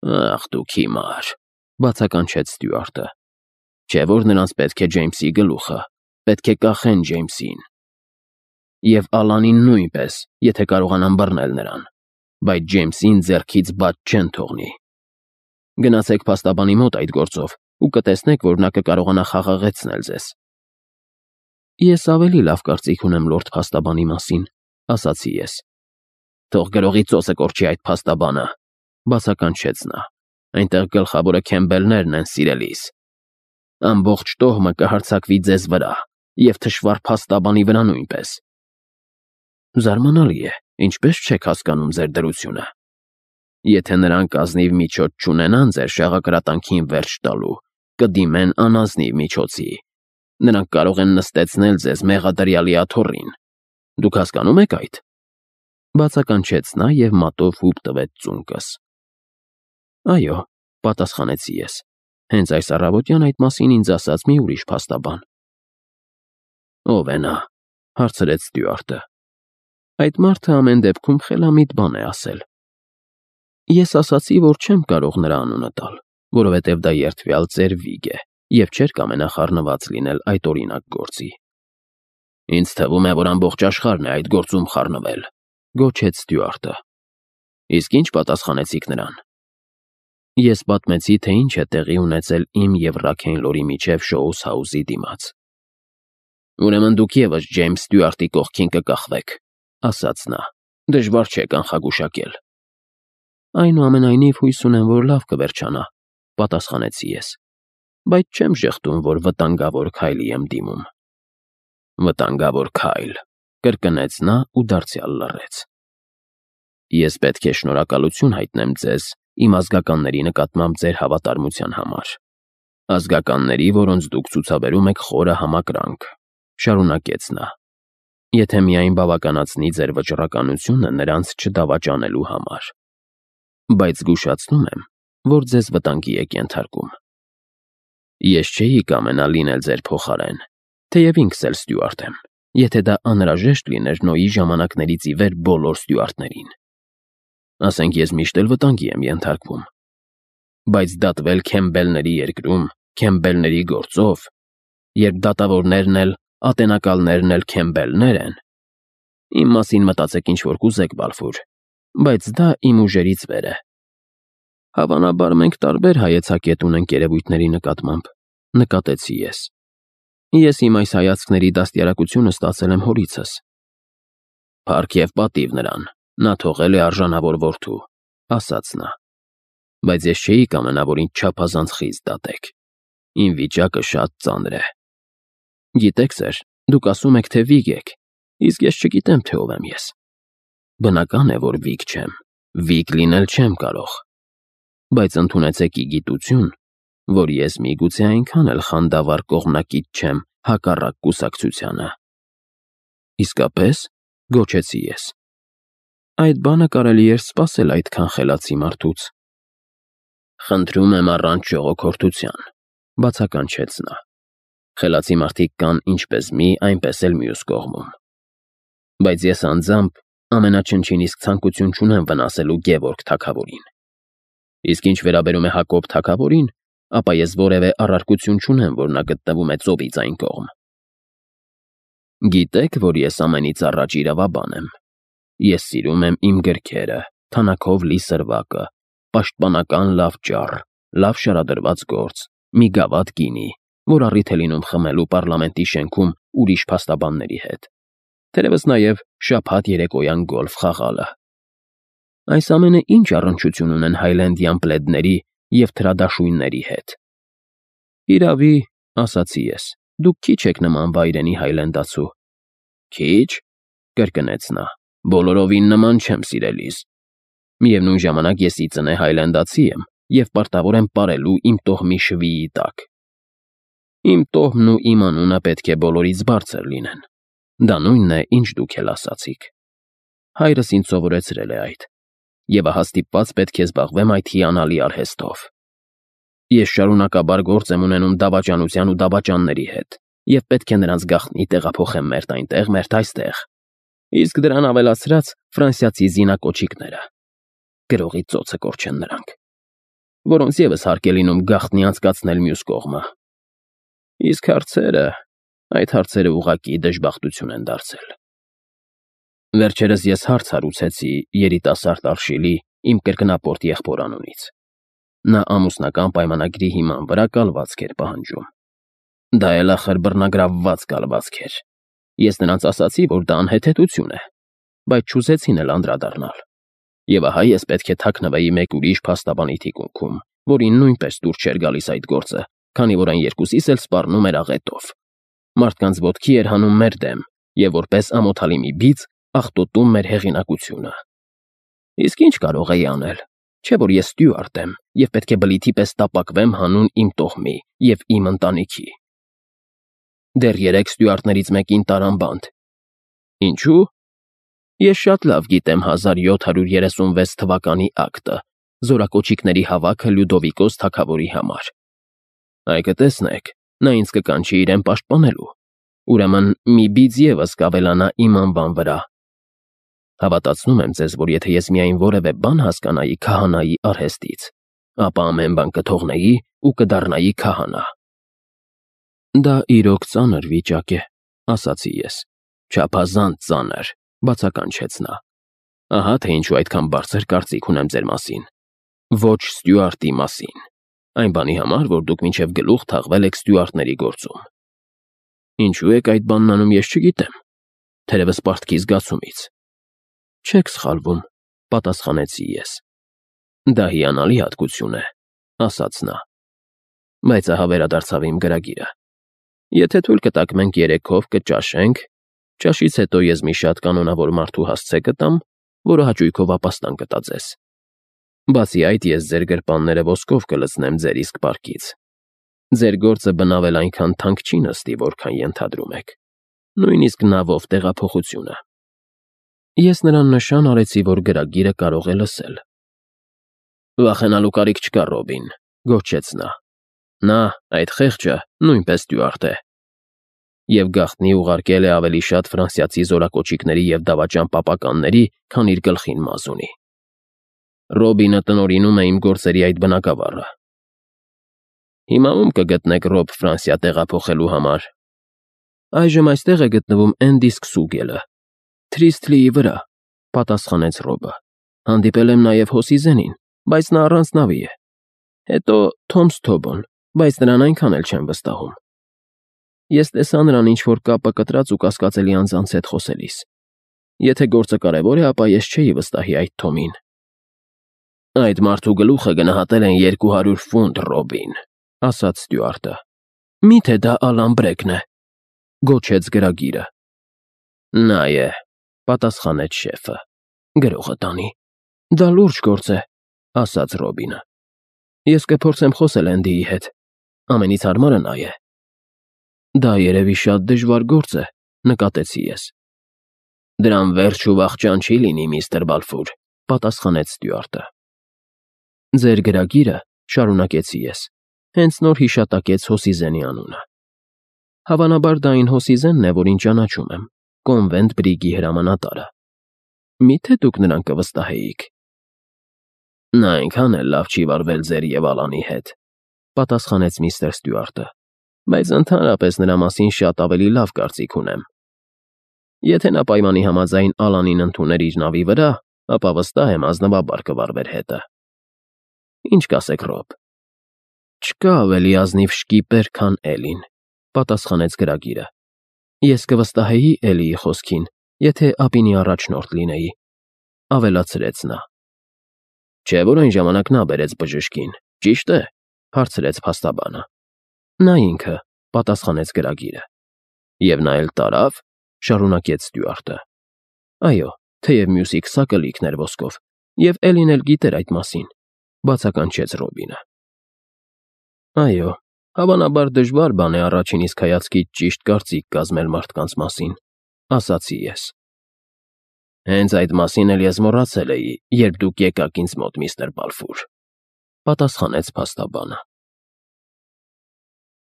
Ախ դուք հիմար, բացականչեց Ստյուարտը։ Չէ՞ որ նրանց պետք է Ջեյմսի գլուխը, պետք է կախեն Ջեյմսին։ Եվ Ալանին նույնպես, եթե կարողանան բռնել նրան, բայց Ջեյմսին ձեռքից բաց չեն թողնի։ Գնացեք փաստաբանի մոտ այդ գործով ու կտեսնեք, որ նա կկարողանա խաղաղեցնել ձեզ։ Ես ավելի լավ կարծիք ունեմ լորդ փաստաբանի մասին, ասացի ես։ Թող գրողի ծոցը կորչի այդ փաստաբանը, բացականչեց նա։ Այնտեղ գլխավորը Քեմբելներն են, սիրելիս։ Ամբողջ տոհմը կհարձակվի ձեզ վրա, և թշվառ փաստաբանի վրա նույնպես։ Զարմանալի է, ինչպես չեք հասկանում ձեր դրությունը։ Եթե նրանք ազնիվ միջոց չունենան ձեր շաղակրատանքին վերջ տալու, կդիմեն անազնիվ միջոցի։ Նրանք կարող են նստեցնել ձեզ մեղադրյալի աթոռին։ Դուք հասկանում եք այդ։ Բացականչեց նա և մատով հուպ տվեց ծունկս։ Այո, պատասխանեցի ես։ Հենց այս առավոտյան այդ մասին ինձ ասաց մի ուրիշ փաստաբան։ Ո՞վ է նա, հարցրեց Ստյուարտը։ Այդ մարդը ամեն դեպքում խելամիտ բան է ասել։ Ես ասացի, որ չեմ կարող նրա անունը տալ, որովհետև դա երդվյալ ծեր Վիգ է, և չէր կամենա խառնված լինել այդ օրինակ գործի։ Ինձ թվում է, որ ամբողջ աշխարհն է այդ գործում խառնվել, գոչեց Ստյուարտը։ Իսկ ինչ պատասխանեցիք նրան։ Ես պատմեցի, թե ինչ է տեղի ունեցել իմ և Ռաքեյնլորի միջև Շոուս Հաուսի դիմաց։ Ուրեմն դուք ևս Ջեյմս Ստյուարտի կողքին կկախվեք, ասաց նա։ Դժվար չէ կանխագուշակել։ Այնուամենայնիվ հույս ունեմ, որ լավ կվերջանա, պատասխանեցի ես, բայց չեմ ժխտում, որ վտանգավոր քայլի եմ դիմում։ Վտանգավոր քայլ, կրկնեց նա ու դարձյալ լռեց։ Ես պետք է շնորհակալություն հայտնեմ ձեզ իմ ազգականների նկատմամբ ձեր հավատարմության համար։ Ազգականների, որոնց դուք ցուցաբերում եք խորը համակրանք, շարունակեց նա։ Եթե միայն բավականացնի ձեր վճռականությունը նրանց չդավաճանելու համար։ Բայց զգուշացնում եմ, որ ձեզ վտանգի եք ենթարկում։ Ես չէի կամենա լինել ձեր փոխարեն, թեև ինքս էլ Ստյուարտ եմ, եթե դա անհրաժեշտ լիներ Նոյի ժամանակներից ի վեր բոլոր Ստյուարտներին։ Ասենք ես միշտ էլ վտանգի եմ ենթարկվում։ Բայց դատվել Քեմբելների երկրում, Քեմբելների գործով, երբ դատավորներն էլ, ատենակալներն էլ Քեմբելներ են։ Իմ մասին մտածեք ինչ որ կուզեք, Բալֆուր, բայց դա իմ ուժերից վեր է։ Հավանաբար մենք տարբեր հայեցակետ ունենք երևույթների նկատմամբ, նկատեցի ես։ Ես իմ այս հայացքների դաստիարակությունը ստացել եմ հորիցս։ Փառք և պատիվ նրան, նա թողել է արժանավոր որդու, ասաց նա։ Բայց ես չէի կամենա, որ ինձ չափազանց խիստ դատեք։ Իմ վիճակը շատ ծանր է։ Գիտեք, սեր, դուք ասում եք, թե Վիգ եք, իսկ ես չգիտեմ, թե ով եմ ես։ Բնական է, որ Վիգ չեմ, Վիգ լինել չեմ կարող։ Բայց ընդունեցեք ի գիտություն, որ ես միգուցե այնքան էլ խանդավառ կողմնակից չեմ հակառակ կուսակցությանը։ Իսկապես, գոչեցի ես։ Այդ բանը կարելի էր սպասել այդքան խելացի մարդուց։ Խնդրում եմ առանց ժողոքորթության, բացականչեց նա։ Խելացի մարդիկ կան ինչպես մի, այնպես էլ մյուս կողմում։ Բայց ես անձամբ ամենաչնչին իսկ ցանկություն չունեմ վնասելու Գևորգ թագավորին։ Իսկ ինչ վերաբերում է Հակոբ թագավորին, ապա ես որևէ առարկություն չունեմ, որ նա գտնվում է ծովից այն կողմ։ Գիտեք, որ ես ամենից առաջ իրավաբան եմ։ Ես սիրում եմ իմ գրքերը, թանաքով լի սրվակը, պաշտպանական լավ ճառ, լավ շարադրված գործ, մի գավաթ գինի, որ առիթ է լինում խմելու պառլամենտի շենքում ուրիշ փաստաբանների հետ, թերևս նաև շաբաթ երեկոյան գոլֆ խաղալը։ Այս ամենը ինչ առնչություն ունեն հայլենդյան պլեդների և թրադաշույնների հետ։ Իրավի, ասացի ես, դուք քիչ եք նման վայրենի հայլենդացու։ Քիչ, կրկնեց նա, բոլորովին նման չեմ, սիրելիս։ Միևնույն ժամանակ ես ի ծնե հայլենդացի եմ և պարտավոր եմ պարելու իմ տոհմի շվիի տակ։ Իմ տոհմն ու իմ անունը պետք է բոլորից բարձր լինեն։ Դա նույնն է, ինչ դուք էլ ասացիք։ Հայրս ինձ սովորեցրել է այդ, և ահա ստիպված պետք է զբաղվեմ այդ հիանալի արհեստով։ Ես շարունակաբար գործ եմ ունենում դավաճանության ու դավաճանների հետ, և պետք է նրանց գաղտնի տեղափոխեմ մերթ այնտեղ, մերթ այստեղ։ Իսկ դրան ավելացրած ֆրանսիացի զինակոչիկները։ Գրողի ծոցը կորչեն նրանք։ որոնց ևս հարկ է լինում գաղտնի անցկացնել մյուս կողմը։ Իսկ այդ հարցերը ուղղակի դժբախտություն են դարձել։ Վերջերս ես հարց հարուցեցի երիտասարդ Արշիլի իմ կրկնապորտ եղբորանունից։ Նա ամուսնական պայմանագրի հիման վրա կալվածք էր պահանջում։ Դա էլ ախր բռնագրավված կալվածք էր։ Ես նրանց ասացի, որ դա անհեթեթություն է, բայց չուզեցին էլ անդրադառնալ։ Եվ ահա ես պետք է թաքնվեի մեկ ուրիշ փաստաբանի թիկունքում, որին նույնպես դուր չէր գալիս այդ գործը, քանի որ այն երկուսիս էլ սպառնում էր աղետով։ Մարդկանց ոտքի էր հանում մեր դեմ և որպես ամոթալի մի բիծ աղտոտում մեր հեղինակությունը։ Իսկ ինչ կարող էի անել, չէ՞ որ ես ստյուարդ եմ և պետք է բլիթի պես տապակվեմ հանուն իմ տոհմի և իմ ընտանիքի։ Դեռ 3 ստյուարդներից մեկին տարան բանտ։ Ինչու՞։ Ես շատ լավ գիտեմ 1736 թվականի ակտը, զորակոչիկների հավաքը Լյուդովիկոս թագավորի համար։ Այ կտեսնեք, նա ինձ կկանչի իրեն պաշտպանելու, ուրեմն մի բիծ ևս կավելանա իմ անվան վրա։ Հավատացնում եմ ձեզ, որ եթե ես միայն որևէ բան հասկանայի քահանայի արհեստից, ապա ամեն բան կթողնեի ու կդառնայի քահանա։ Դա իրոք ծանր վիճակ է, ասացի ես։ Չափազանց ծանր, բացականչեց նա։ Ահա թե ինչու այդքան բարձր կարծիք ունեմ ձեր մասին։ Ոչ ստյուարտի մասին։ Այն բանի համար, որ դուք մինչև գլուխ թաղվել եք ստյուարտների գործում։ Ինչու եք այդ բանն անում, ես չգիտեմ։ Թերևս պարտքի զգացումից։ Չեք սխալվում, պատասխանեցի ես։ Դա հիանալի հատկություն է, ասաց նա։ Բայց ահա վերադարձավ իմ գրագիրը։ Եթե թույլ կտաք, մենք երեքով կճաշենք, ճաշից հետո ես մի շատ կանոնավոր մարդու հասցե կտամ, որը հաճույքով ապաստան կտա ձեզ։ Բացի այդ, ես ձեր գրպանները ոսկով կլցնեմ ձեր իսկ պարկից։ Ձեր գործը բնավել այնքան թանկ չի նստի, որքան ենթադրում եք։ Նույնիսկ նավով տեղափոխությունը։ Ես նրան նշան արեցի, որ գրագիրը կարող է լսել։ Վախենալու կարիք չկա, Ռոբին, գոչեց նա։ Նա, այդ խեղճը, նույնպես ստյուարդ է։ Եվ գաղտնի ուղարկել է ավելի շատ ֆրանսիացի զորակոչիկների և դավաճան պապականների, քան իր գլխին մազ ունի։ Ռոբինը տնօրինում է իմ գործերի այդ բնակավառը։ Հիմա ում կգտնեք Ռոբ Ֆրանսիա տեղափոխելու համար։ Այժմ այստեղ է գտնվում Էնդի Սկսուգելը, Թրիստլիի վրա, պատասխանեց Ռոբը։ Հանդիպել եմ նաև Հոսիզենին, բայց նա առանց նավի է։ Հետո Թոմս Թոբոն, բայց նրան այնքան էլ չեմ վստահում։ Ես տեսա նրան ինչ-որ կապը կտրած ու կասկածելի անձանց հետ խոսելիս։ Եթե գործը կարևոր է, ապա ես չէի վստահի այդ Թոմին։ Այդ մարդու գլուխը գնահատել են 200 ֆունտ, Ռոբին, ասաց ստյուարտը։ Միթե դա Ալան Բրեքն է, գոչեց գրագիրը։ Նա է, պատասխանեց շեֆը։ Գրողը տանի։ Դա լուրջ գործ է, ասաց Ռոբինը։ Ես կփորձեմ խոսել Էնդիի հետ։ Ամենից հարմարը նա է։ Դա երևի շատ դժվար գործ է, նկատեցի ես։ Դրան վերջ ու վախճան չի լինի, միստր Բալֆուր, պատասխանեց ստյուարտը։ Ձեր գրագիրը, շարունակեցի ես, հենց նոր հիշատակեց Հոսիզենի անունը։ Հավանաբար դա այն Հոսիզենն է, որին ճանաչում եմ, Կոնվենտ Բրիգի հրամանատարը։ Միթե դուք նրան կվստահեիք։ Նա այնքան էլ լավ չի վարվել ձեր և Ալանի հետ, պատասխանեց միստր Ստյուարտը, բայց ընդհանրապես նրա մասին շատ ավելի լավ կարծիք ունեմ։ Եթե նա պայմանի համաձայն Ալանին ընդուներ իր նավի վրա, ապա վստահ եմ ազնվաբար կվարվեր հետը։ Ինչ կասեք, Ռոբ։ Չկա ավելի ազնիվ շկիպեր, քան Էլին, պատասխանեց գրագիրը։ Ես կվստահեի Էլիի խոսքին, եթե ապինի առաջնորդ լինեի, ավելացրեց նա։ Չէ՞ որ այն ժամանակ նա բերեց բժշկին, ճիշտ է, հարցրեց փաստաբանը։ Նա ինքը, պատասխանեց գրագիրը։ Եվ նա էլ տարավ, շարունակեց ստյուարտը։ Այո, թեև մյուսի քսակը լիքն էր ոսկով, և Էլին էլ գիտեր այդ մասին, բացականչեց Ռոբինը։ Այո, հավանաբար դժվար բան է առաջին իսկ հայացքից ճիշտ կարծիք կազմել մարդկանց մասին, ասացի ես։ Հենց այդ մասին էլ ես մոռացել էի, երբ դուք եկաք ինձ մոտ, միստր Բալֆուր, պատասխանեց փաստաբանը։